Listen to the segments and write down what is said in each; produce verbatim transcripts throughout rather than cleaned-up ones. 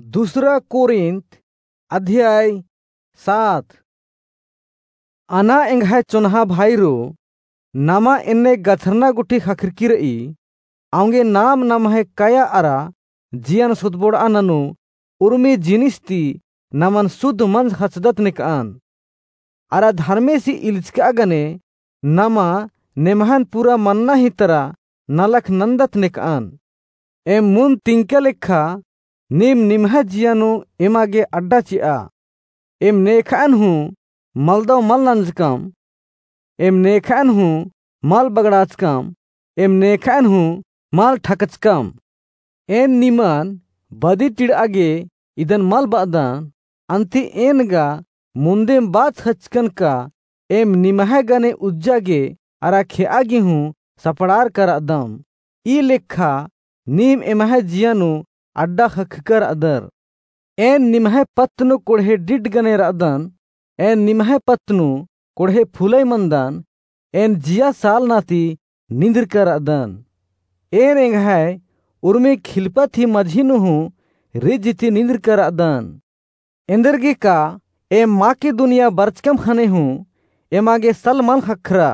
दूसरा कोरिन्थ अध्याय सात। अना एंग्है चोन्हा भाईरो, नमा एन्ने गछरना गुट्ठी ख़क्खरकी र'ई, औंगे नाम नम्है कया अरा जियन सुधबोड़'आ ननू उर्मी जिनिस ती नमन सुध मंज ख़चदत नेक'अन। अरा धर्मेसी इल्चक'आ गने नमा नेम्हन पूरा मन्ना ही तरा नलख नन्दत नेक'अन। एम मुन्द तिंका लेखा नीम निम्है जिया नू एमा गे अड्डा चि'आ। एम नेख'अन हूँ मलदौ मल नंजकम, एम नेख'अन हूँ मल बगड़ाचकम, एम नेख'अन हूँ मल ठकचकम। एन निमन बदी टिड़'आ गे इदन मल ब'अदन, अन्ती एन गा मुन्देम बाच ख़चकन का एम निम्है गने उज्जा गे अरा खे'आ गे हूँ सपड़ारका र'अदम। ई लेखा नीम एम्है जिया नू अड्डा ख़क्खका र'अदर। एन निम्है पत्त नू कोड़हे डिड्ड गने र'अदन, एन निम्है पत्त नू कोड़हे फुलई मन्दन, एन जिया सालना ती निंदरका र'अदन। एन एंग्है उर्मी खिलपत ही मझी नू हूँ रिझ ती निंदरका र'अदन। एन्देरगे का एम माकिदुनिया बरचकम ख़ने हूँ एमा गे सल मल ख़क्खरा,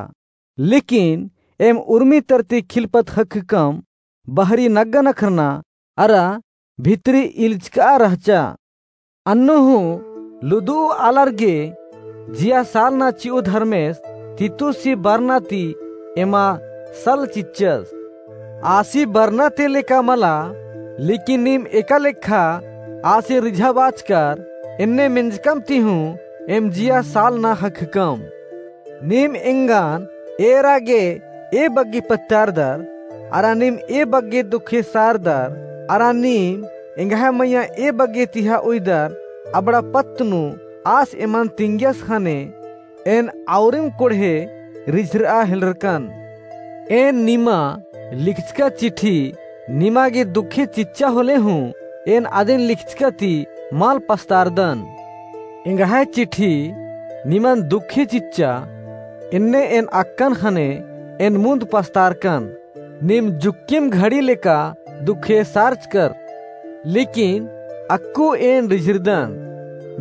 लेकिन एम उर्मी तरती खिलपत ख़क्खकम, बहरी नग्गा नखरना अरा भितरी इल्चक'आ रहचा। अन्नु हूँ लुदु'ऊ आलर गे जिया सालना चि'ऊ धर्मेस तीतुसी बरना ती एमा सल चिच्चस। आसी बरना ती लेका मला, लेकिन नीम एका लेखा आसी रिझा बाचकर एन्ने मेंजकम ती हूँ एम जिया सालना ख़क्खकम। नीम एंगन एरा गे ए बग्गे पत्तारदर, अरा नीम ए बग्गे दुखे सारदर, अरा नीम एंग्है मइय्याँ ए बग्गे तिहा उइदर, अबड़ा पत्त नू आस एमन तिंगियस ख़ने एन औरिम कोड़हे रिझर'आ हेलरकन। एन निमा लिखचका चिट्ठी निमा गे दुखे चिच्चा होले हूँ एन अदिन लिखचका ती मल पस्तारदन। एंग्है चिट्ठी निमन दुखे चिच्चा, एन्ने एन अक्कन ख़ने एन मुन्द पस्तारकन। नीम जुक्किम घड़ी लेका दुखे सारचकर, लेकिन अक्कु एन रिझरदन।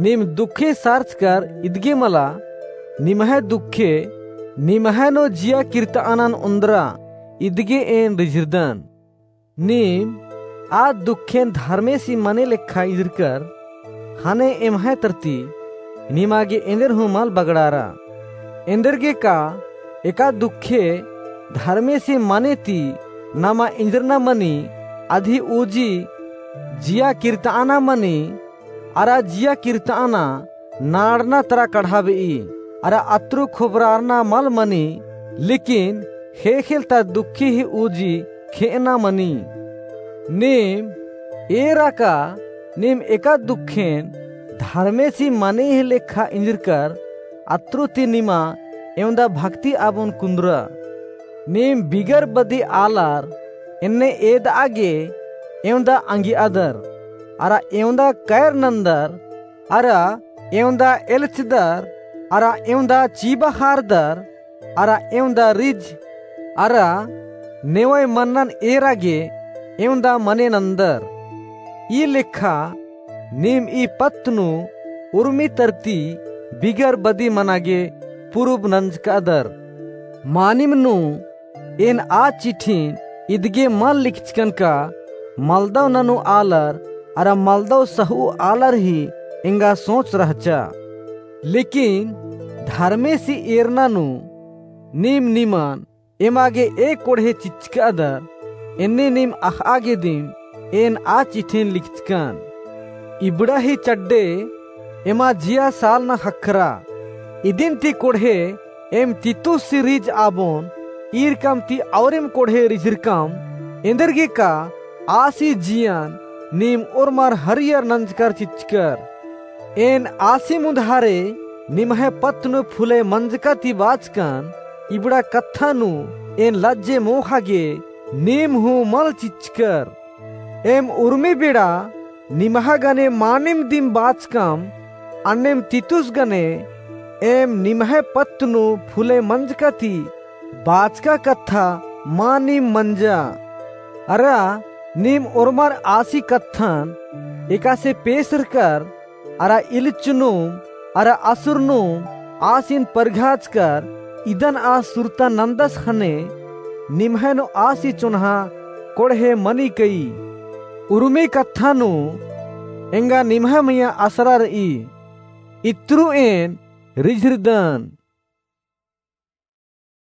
नीम दुखे सारचकर इदगे मला, निम्है दुखे निम्है नू जिया किर्त'अनन ओन्द्रा, इदगे एन रिझरदन। नीम आ दुखेन धर्मेसी मने लेखा इजरकर, ख़ने एम्है तरती निमा गे एन्देर हूँ मल बगड़ारा। एन्देरगे का एका दुखे धर्मेसी मने ती नमा इजरना मनी, अदी उजी जिया किर्त'अना मनी, अरा जिया किर्त'अना नाड़ना तरा कढ़ाबे'ई, अरा अत्रु खोबरारना मल मनी, लेकिन ख़ेख़ेल ता दुखे ही उजी खे'अना मनी। नीम एरा का नीम एका दुखेन धर्मेसी मने ही लेखा इजरकर अत्रु ती निमा एवंदा भक्ति आबोन कुन्दरा। नीम बिगर बदी आलर एन्ने एद'आ गे एवंदा अंगि'अदर, अरा एवंदा कैर नन्दर, अरा एवंदा एल्चदर, अरा एवंदा चीबा ख़ारदर, अरा एवंदा रिझ, अरा नेवय मन्नन एरा गे एवंदा मने नन्दर। ई लेखा नीम ई पत्त नू उर्मी तरती बिगर बदी मना गे पुरुब नंजक'अदर। मानिम नू एन आ चिट्ठिन इदगे मल लिखचकन का मलदव ननू आलर अरा मलदव सहु आलर ही एंगा सोच रहचा। लेकिन धर्मेसी एरना नू नीम निमन एमा गे ए कोड़हे चिच्चकदर, एन्ने नीम अख़आ गे दिम एन आ चिट्ठिन लिखचकन। इबड़ा ही चड्डे एमा जिया सालना ख़क्खरा। इदिन ती कोड़हे एम तीतुसी रिझ आबोन, ईरकम ती औरेम कोड़हे रिझरकम, एन्देरगे का आसी जियन नीम ओर्मर हरियर नंजकर चिच्चकर। एन आसी मुन्धारे निम्है पत्त नू फुले मंजका ती बाचकन, इबड़ा कत्था नू एन लज्जे मोख़ा गे नीम हूँ मल चिच्चकर। एम उर्मी बेड़ा निम्हा गने मानिम दिम बाचकम, अन्नेम तीतुस गने एम निम्है पत्त नू फुले मंजका ती बाचका कत्था मानिम मंजा। अरा नीम ओर्मर आसी कत्थन एकासे पेसरकर अरा इल्लचनुम अरा असुरनुम आसिन परघाचकर इदन आ सुरता नन्दस ख़ने निम्है नू आसी चोन्हा कोड़हे मनी कई। उर्मी कत्था नू एंगा निम्है मइय्याँ असरा रई। इत्रु एन रिझरदन।